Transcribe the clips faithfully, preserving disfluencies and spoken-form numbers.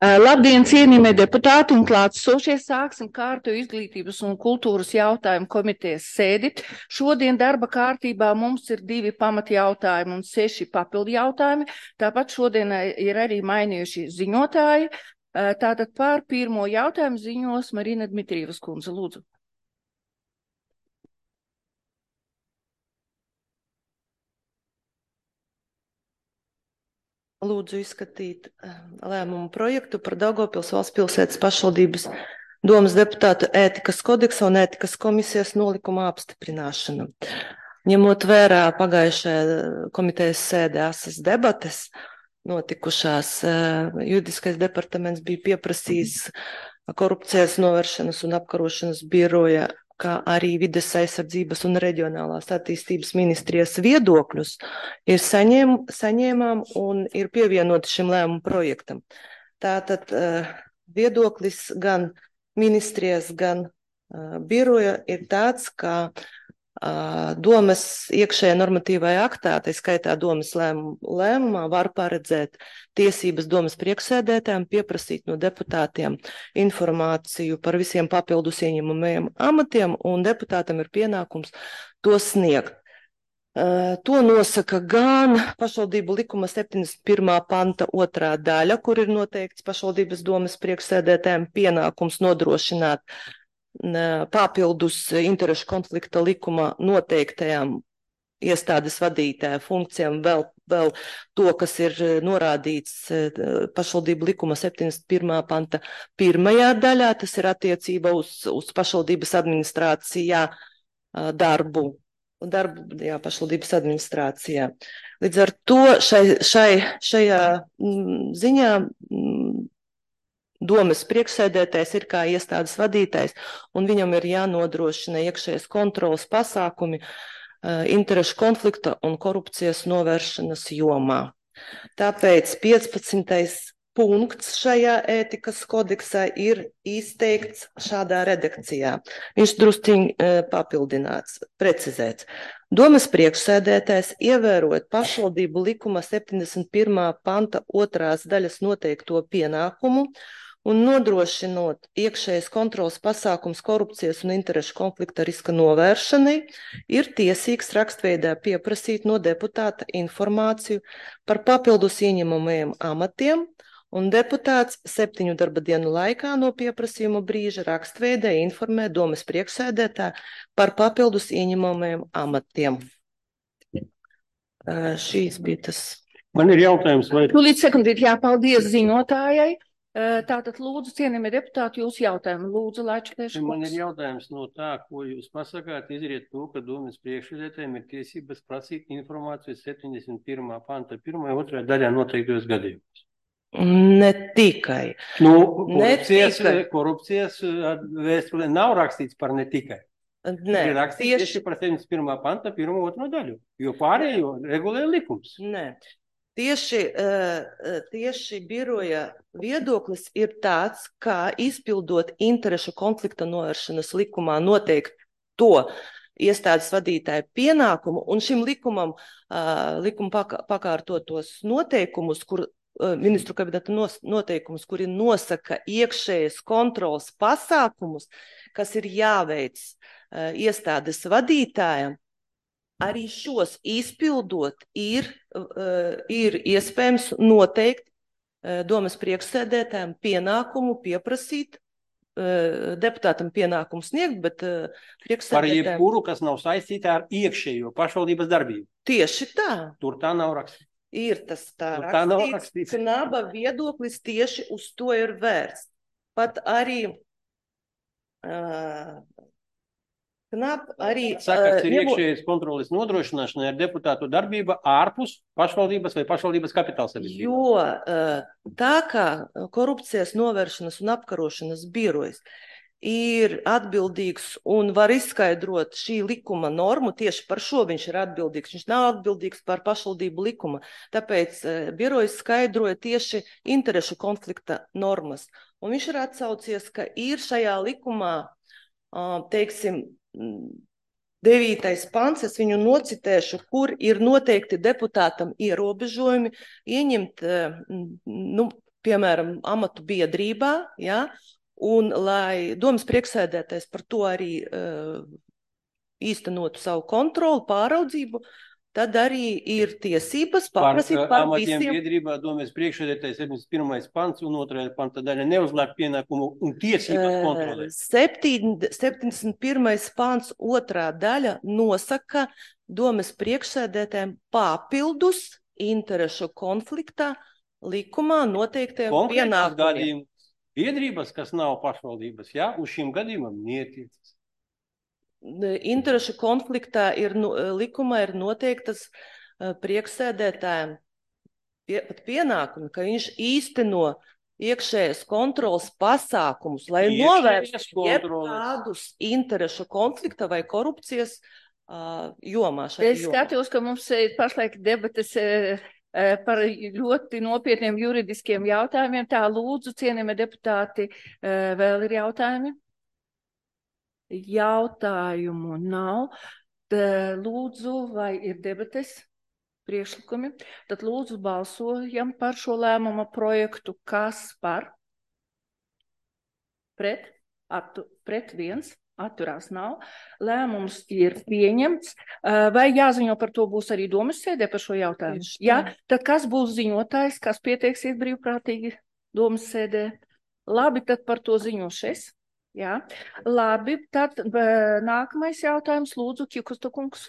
Labdien, cienījamie deputāti un klātsošie, sāksim kārtu izglītības un kultūras jautājumu komitejas sēdi. Šodien darba kārtībā mums ir divi pamatjautājumi un seši papildu jautājumi. Tāpat šodien ir arī mainījuši ziņotāji. Tātad par pirmo jautājumu ziņos Marina Dmitrievas kundze, lūdzu. Lūdzu izskatīt lēmumu projektu par Daugavpils valsts pilsētas pašvaldības domas deputātu ētikas kodeksa un ētikas komisijas nolikuma apstiprināšanu. Ņemot vērā pagājušajā komitejas sēdē asas debates notikušās, juridiskais departaments bija pieprasījis korupcijas novēršanas un apkarošanas biroja, kā arī vides aizsardzības un reģionālās attīstības ministrijas viedokļus, ir saņēm, saņēmām un ir pievienoti šim lēmumu projektam. Tātad uh, viedoklis gan ministrijas, gan uh, biroja ir tāds, ka uh, domas iekšējā normatīvajā aktā, tā skaitā domas lēmum, lēmumā, var paredzēt tiesības domas priekšsēdētājiem pieprasīt no deputātiem informāciju par visiem papildus ieņemamajiem amatiem, un deputātam ir pienākums to sniegt. Uh, to nosaka gan pašvaldību likuma septiņdesmit pirmā panta otrā daļa, kur ir noteikts pašvaldības domas priekšsēdētājiem pienākums nodrošināt uh, papildus interešu konflikta likuma noteiktajām iestādes vadītāja funkcijām vēl, vēl to, kas ir norādīts pašvaldību likuma septiņdesmit pirmā panta pirmajā daļā, tas ir attiecība uz, uz pašvaldības administrācijā darbu, darbu jā, pašvaldības administrācijā. Līdz ar to šai, šai, šajā ziņā domas priekšsēdētājs ir kā iestādes vadītājs, un viņam ir jānodrošina iekšējas kontrolas pasākumi interešu konflikta un korupcijas novēršanas jomā. Tāpēc piecpadsmitais punkts šajā ētikas kodeksā ir izteikts šādā redakcijā. Viņš drusciņ papildināts, precizēts. Domas priekšsēdētājs, ievērojot pašvaldību likuma septiņdesmit pirmā panta otrās daļas noteikto pienākumu un nodrošinot iekšējas kontrolas pasākums korupcijas un interešu konflikta riska novēršanai, ir tiesīgs rakstveidā pieprasīt no deputāta informāciju par papildus ieņemamajiem amatiem, un deputāts septiņu darba dienu laikā no pieprasījuma brīža rakstveidā informē domas priekšsēdētāju par papildus ieņemamajiem amatiem. Šīs bija tas. Man ir jautājums, vai... Tūlīt sekundīt jāpaldies ziņotājai. Tātad lūdzu, cienījamie deputāti, jūsu jautājumu. Lūdzu, Laičplēša. Man ir jautājums no tā, ko jūs pasakāt, izriet to, ka domas priekšsēdētājiem ir tiesības prasīt informāciju septiņdesmit pirmā panta pirmajā otrajā daļā noteiktos gadījumos. Ne tikai. Nu, korupcijas, ne tikai. korupcijas vēstulē nav rakstīts par ne tikai. Nē, ir rakstīts tieši... tieši par septiņdesmit pirmā panta pirmo otro daļu, jo pārējo regulē likums. Nē. Tieši, tieši biroja viedoklis ir tāds, kā izpildot interešu konflikta novēršanas likumā noteikt to iestādes vadītāju pienākumu, un šim likumam, likuma pakārtotos noteikumus, kur ministru kabineta noteikumus, kuri nosaka iekšējas kontrolas pasākumus, kas ir jāveic iestādes vadītājiem, arī šos izpildot ir, ir iespējams noteikt domas priekšsēdētājiem pienākumu pieprasīt, deputātam pienākumu sniegt, bet priekšsēdētājiem... Par jebkuru, kas nav saistīta ar iekšējo pašvaldības darbību. Tieši tā. Tur tā nav rakstīts. Ir tas tā Tur rakstīts, tā nav rakstīts. Knaba viedoklis tieši uz to ir vērsts. Pat arī... Uh, Knap arī... Saka, ka ir ņemot... iekšējas kontroles nodrošināšana ar deputātu darbība ārpus pašvaldības vai pašvaldības kapitāla sabiedrības. Jo tā kā korupcijas novēršanas un apkarošanas birojas ir atbildīgs un var izskaidrot šī likuma normu, tieši par šo viņš ir atbildīgs. Viņš nav atbildīgs par pašvaldību likuma, tāpēc birojas skaidroja tieši interešu konflikta normas. Un viņš ir atsaucies, ka ir šajā likumā, teiksim, devītais pants, es viņu nocitēšu, kur ir noteikti deputātam ierobežojumi ieņemt, nu, piemēram, amatu biedrībā, ja, un lai domas priekšsēdētājs par to arī uh, īstenotu savu kontroli, pāraudzību, tad arī ir tiesības paprasīt par, par amatiem visiem. Biedrībā domas priekšsēdētājs septiņdesmit pirmais pants un otrajā panta daļa neuzliek pienākumu un tiesības kontrolēt. septiņdesmit pirmais pants otrā daļa nosaka domas priekšsēdētājiem papildus interešu konfliktā likumā noteiktiem pienākumiem. Biedrības, kas nav pašvaldības, jā, uz šīm gadījumam netiecas. Interešu konfliktā ir, likumā ir noteiktas priekšsēdētājiem pie, pat pienākumi, ka viņš īsteno iekšējas kontrolas pasākumus, lai novērstu jebkādus interešu konflikta vai korupcijas uh, jomā. Es skatos, ka mums ir pašlaik debates uh, par ļoti nopietniem juridiskiem jautājumiem. Tā lūdzu, cienījamie deputāti, uh, vēl ir jautājumi? Jautājumu nav. Tā, lūdzu, vai ir debates, priekšlikumi? Tad lūdzu balsojam par šo lēmuma projektu. Kas par? Pret? Attu, pret viens? Atturās nav. Lēmums ir pieņemts. Vai jāziņo par to būs arī domas sēdē par šo jautājumu? Jā, tad kas būs ziņotājs, kas pieteiksies brīvprātīgi domas sēdē? Labi, tad par to ziņošu es. Jā, labi, tad nākamais jautājums, lūdzu, Kikusta kungs.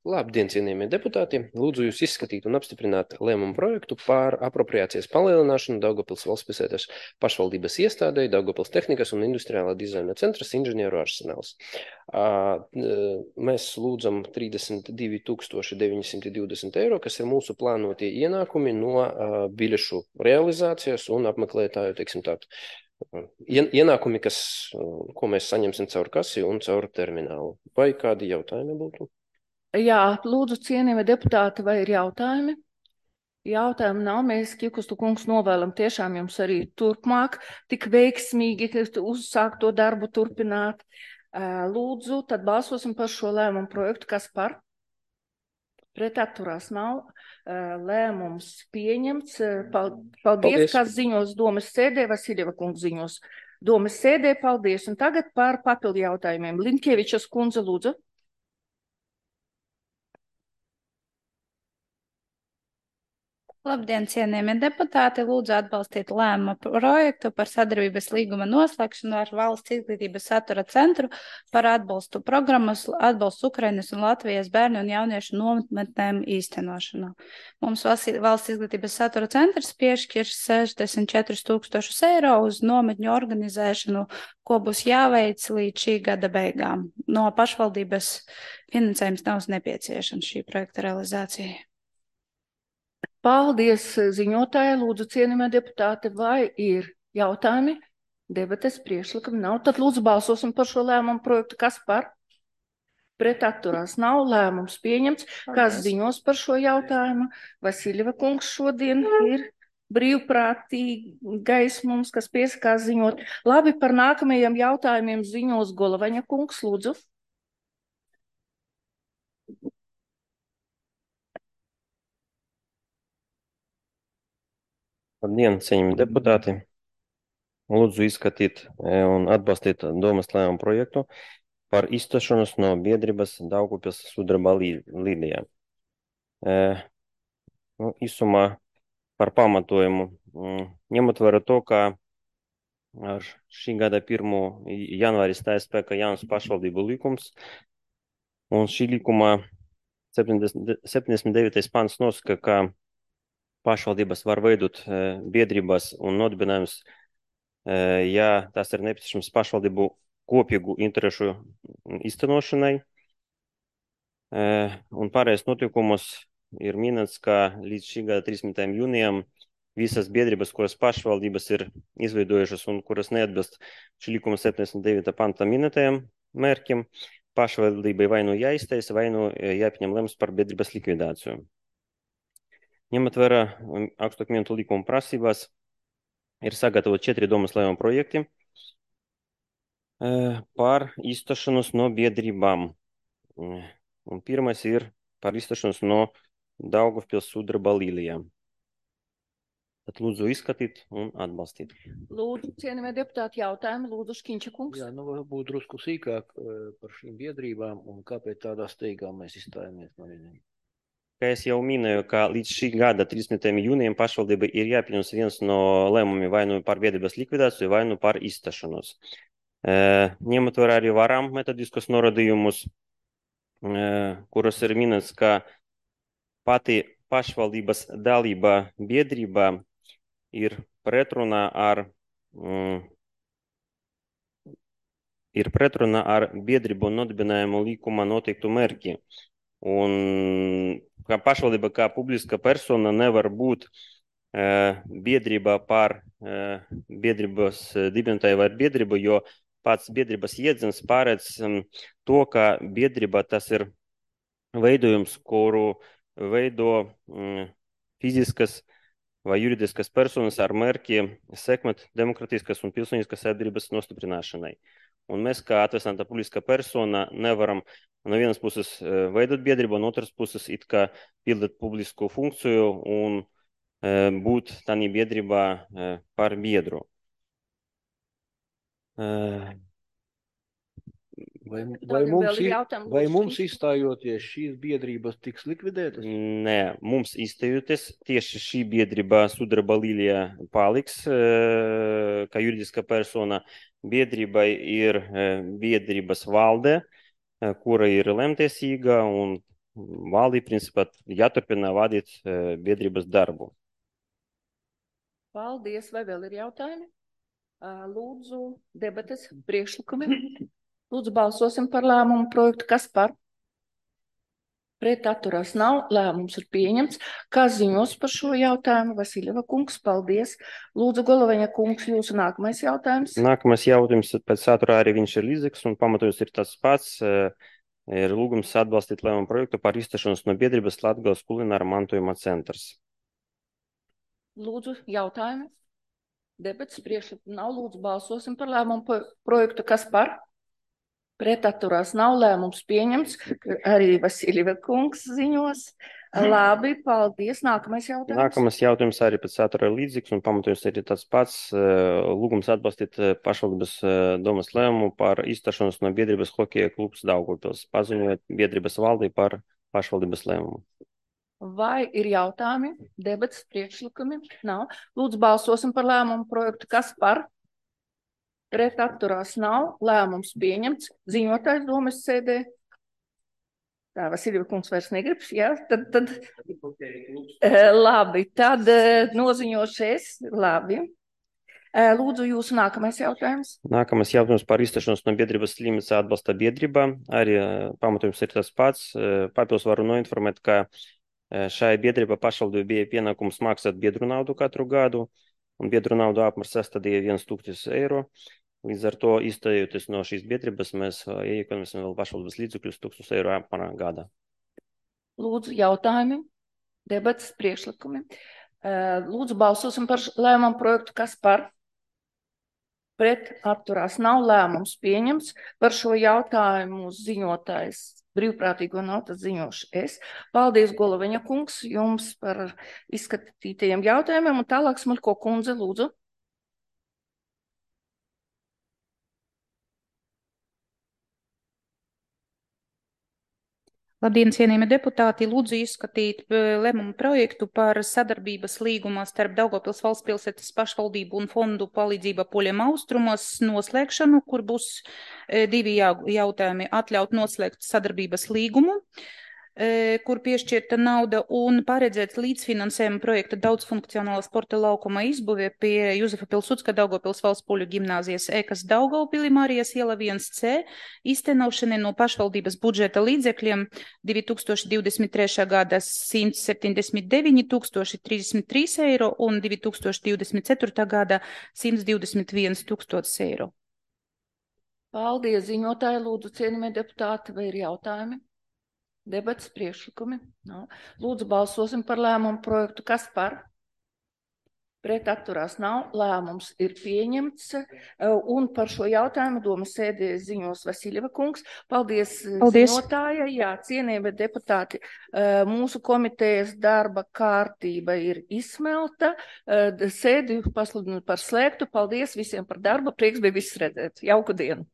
Labdien, cienījamie deputāti! Lūdzu jūs izskatīt un apstiprināt lēmumu projektu par apropriācijas palielināšanu Daugavpils valstspilsētas pašvaldības iestādei Daugavpils tehnikas un industriālā dizaina centras inženieru arsenāls. Mēs lūdzam trīsdesmit divi tūkstoši deviņi simti divdesmit eiro, kas ir mūsu plānotie ienākumi no biļešu realizācijas un apmeklētāju, teiksim tā, ienākumi, kas, ko mēs saņemsim caur kasi un caur terminālu. Vai kādi jautājumi būtu? Jā, lūdzu, cienījamie deputāti, vai ir jautājumi? Jautājumi nav. Mēs, Kikustu kungs, novēlam tiešām jums arī turpmāk tik veiksmīgi uzsākt to darbu, turpināt. Lūdzu, tad balsosim par šo lēmumu projektu. Kas par? Pret atturās nav. Lēmums pieņemts. Paldies, paldies. Kas ziņos domas sēdē, Vasiljeva kungs ziņos domas sēdē. Paldies. Un tagad par papildu jautājumiem. Linkievičas kundze, lūdzu. Labdien, cienījamie deputāti! Lūdzu atbalstīt lēmuma projektu par sadarbības līguma noslēgšanu ar Valsts izglītības satura centru par atbalstu programmas, atbalstu Ukrainas un Latvijas bērnu un jauniešu nometnēm īstenošanu. Mums Valsts izglītības satura centrs piešķirs sešdesmit četrus tūkstošus eiro uz nometņu organizēšanu, ko būs jāveic līdz šī gada beigām. No pašvaldības finansējums nav nepieciešams šī projekta realizācijai. Paldies, ziņotāji, lūdzu, cienījamie deputāti, vai ir jautājumi? Debates priekšlikumi nav. Tad lūdzu balsosim par šo lēmumu projektu. Kas par? Pret atturās nav. Lēmums pieņemts. Kas ziņos par šo jautājumu? Vasiljeva kungs šodien ir brīvprātīgais mums, kas piesakās ziņot. Labi, par nākamajiem jautājumiem ziņos Golovaņa kungs, lūdzu. Labdien, cienījamie deputāti! Lūdzu izskatīt un atbalstīt domas lēmumu projektu par izstāšanos no biedrības Daugavpils sudraba līnijā. E, nu, īsumā par pamatojumu. Ņemot vērā to, ka ar šī gada pirmā janvāri stājas spēkā jauns pašvaldību likums, un šī likuma septiņdesmit devītais pants nosaka, ka pašvaldības var veidot biedrības un nodibinājumus, ja tas ir nepieciešams pašvaldību kopīgu interešu īstenošanai. Un pārējais notiekumus ir minēts, ka līdz šī gada trīsdesmitajam jūnijam visas biedrības, kuras pašvaldības ir izveidojušas un kuras neatbilst šī likuma septiņdesmit devītā panta minētajam mērķim, pašvaldībai vai nu jāiztaisa, vai nu jāpieņem lēmums par biedrības likvidāciju. Ņemot vērā augstākmietu likuma prasībās, ir sagatavot četri domas lēmuma projekti par izstāšanos no biedrībām. Un pirmais ir par izstāšanos no Daugavpils sudraba līnijām. Tad lūdzu izskatīt un atbalstīt. Lūdzu, cienījamie deputāti, jautājumi. Lūdzu, Škiņša kungs. Jā, nu varbūt drusku sīkāk par šīm biedrībām un kāpēc tādā steigā mēs izstājamies no viņiem. Kā es jau minēju, ka līdz šī gada trīsdesmitajam jūnijam pašvaldība ir jāpieņems viens no lēmumiem vai nu par biedrības likvidāciju, vai nu par izstašanos. Ņemot vērā arī varam metodiskos norādījumus, kuros ir minēts, ka pati pašvaldības dalība biedrībā ir pretrunā ar, mm, ir pretrunā ar biedrību nodibinājumu līkuma noteiktu mērķi. Un kā pašvaldība, kā publiska persona nevar būt e, biedrība par e, biedrības dibinātāju vai biedrību, jo pats biedrības jēdziens pārēdz um, to, ka biedrība tas ir veidojums, kuru veido um, fiziskas vai juridiskas personas ar mērķi sekmēt demokratiskas un pilsoniskas sabiedrības nostiprināšanai. Un mēs, kā atvesināta publiska persona, nevaram no vienas puses veidot biedrību, un otras puses it kā pildīt publisku funkciju un e, būt tādā biedrībā e, par biedru. E, Vai, vai, mums, vai mums izstājoties šīs biedrības tiks likvidētas? Nē, mums izstājoties tieši šī biedrība Sudraba līnija paliks, kā juridiska persona. Biedrībai ir biedrības valde, kura ir lemtiesīga, un valdī principā jāturpina vadīt biedrības darbu. Paldies, vai vēl ir jautājumi? Lūdzu, debates, priekšlikumi. Lūdzu, balsosim par lēmumu projektu. Kas par? Pret atturās nav. Lēmums ir pieņemts. Kas ziņos par šo jautājumu? Vasiljeva kungs, paldies. Lūdzu, Goloveņa kungs, jūsu nākamais jautājums. Nākamais jautājums pēc saturā arī viņš ir līdzīgs un pamatojums ir tas pats. Ir lūgums atbalstīt lēmumu projektu par izstašanos no biedrības Latgales kulināra mantojuma centrs. Lūdzu, jautājumi. Debats priekšlikumi nav. Lūdzu, balsosim par lēmumu projektu. Kas par? Pret atturās nav. Lēmums pieņemts. Arī Vasiljeva kungs ziņos. Labi, paldies. Nākamais jautājums. Nākamais jautājums arī pēc satura ir līdzīgs un pamatojums ir tas pats. Lūgums atbalstīt pašvaldības domas lēmumu par izstašanos no biedrības Hokeja klubs Daugavpils, paziņojot biedrības valdī par pašvaldības lēmumu. Vai ir jautājumi? Debats, priekšlikumi? Nav. Lūdzu, balsosim par lēmumu projektu. Kas par? Pret atturās nav. Lēmums pieņemts. Ziņotājs domas sēdē. Tā, Vasiljeva kungs vairs negribas, jā? Tad, tad, labi, tad noziņošu es. Labi. Lūdzu, jūsu nākamais jautājums. Nākamais jautājums par izstašanos no biedrības Slimnica atbalsta biedrībā. Arī pamatojums ir tas pats. Papildus varu noinformēt, ka šai biedrība pašvaldībai bija pienākums maksāt biedru naudu katru gadu, un biedru naudu apmērs sastādīja viens tūkstotis eiro. Līdz ar to, izstājoties no šīs biedrības, mēs iekonomisim vēl pašvaldības līdzekļus tūkstotis eiro apmērā gadā. Lūdzu, jautājumi, debats, priekšlikumi. Lūdzu, balsosim par lēmumu projektu. Kas par? Pret atturās nav. Lēmums pieņemts. Par šo jautājumu ziņotājs brīvprātīgo nav, tad ziņošu es. Paldies, Goloveņa kungs, jums par izskatītajiem jautājumiem. Un tālāk Smuļko kundze, lūdzu. Labdien, cienījami deputāti! Lūdzu izskatīt lēmumu projektu par sadarbības līgumu starp Daugavpils valsts pilsētas pašvaldību un fondu palīdzība poļiem austrumos noslēgšanu, kur būs divi jautājumi - atļaut noslēgt sadarbības līgumu, kur piešķirta nauda, un paredzēt līdzfinansējumu projekta daudzfunkcionāla sporta laukuma izbūvē pie Juzefa Pilsudska Daugavpils valsts poļu gimnāzijas ēkas Daugavpilī Marijas iela viens C, iztenošanai no pašvaldības budžeta līdzekļiem divi tūkstoši divdesmit trešā gada simt septiņdesmit deviņi tūkstoši trīsdesmit trīs eiro un divi tūkstoši divdesmit ceturtā gada simt divdesmit viens tūkstotis eiro. Paldies, ziņotāji, lūdzu, cienījamie deputāti, vai ir jautājumi? Debats, priekšlikumi? No. Lūdzu, balsosim par lēmumu projektu. Kas par? Pret atturās nav, lēmums ir pieņemts, un par šo jautājumu domas sēdē ziņos Vasiļeva kungs. Paldies, Paldies. ziņotājai, jā, cienījamie deputāti, mūsu komitejas darba kārtība ir izsmelta, sēdi pasludinu par slēgtu. Paldies visiem par darbu, prieks bija visus redzēt. Jauku dienu!